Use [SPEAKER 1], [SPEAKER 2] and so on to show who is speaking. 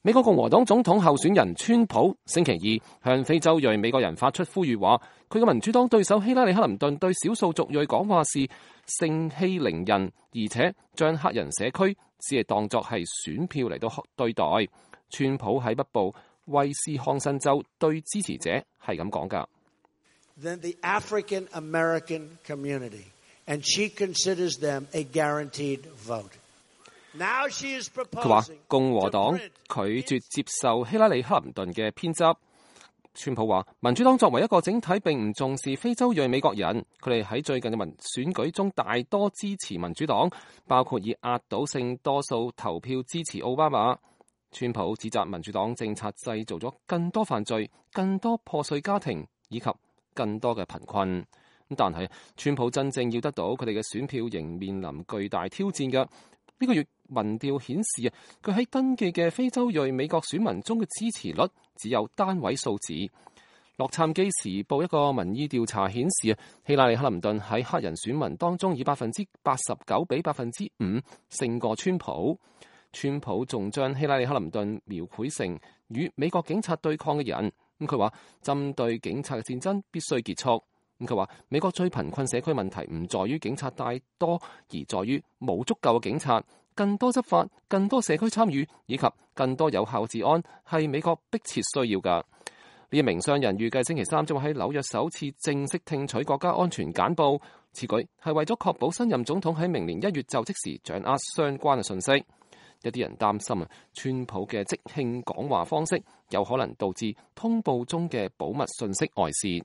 [SPEAKER 1] 美國共和黨總統候選人川普星期二向非洲裔美國人發出呼籲，話佢嘅民主黨對手希拉里克林頓對少數族裔講話時盛氣凌人，而且將黑人社區只係當作係選票嚟到對待。川普喺北部威斯康辛州對支持者係咁講㗎。
[SPEAKER 2] Then the African American community, and she considers them a guaranteed vote.
[SPEAKER 1] 佢話共和黨拒絕接受希拉里克林頓嘅偏執。川普話民主黨作為一個整體並唔重視非洲裔美國人，佢哋喺最近嘅選舉中大多支持民主黨，包括以壓倒性多數投票支持奧巴馬。川普指責民主黨政策製造咗更多犯罪、更多破碎家庭以及更多嘅貧困。但係川普真正要得到佢哋嘅選票，仍面臨巨大挑戰嘅。呢個月民調顯示佢喺登記嘅非洲裔美國選民中嘅支持率只有單位數字。洛杉磯時報一個民意調查顯示希拉里克林頓喺黑人選民當中以89%比5%勝過川普。川普仲將希拉里克林頓描繪成與美國警察對抗嘅人。佢話針對警察嘅戰爭必須結束。佢話美國最貧困社區問題唔在於警察太多，而在於冇足夠嘅警察。更多執法、更多社區參與以及更多有效治安係美國迫切需要㗎。呢一名商人預計星期三將會喺紐約首次正式聽取國家安全簡報。此舉係為咗確保新任總統喺明年1月就職時掌握相關嘅信息。一啲人擔心川普嘅即興講話方式有可能導致通報中嘅保密信息外泄。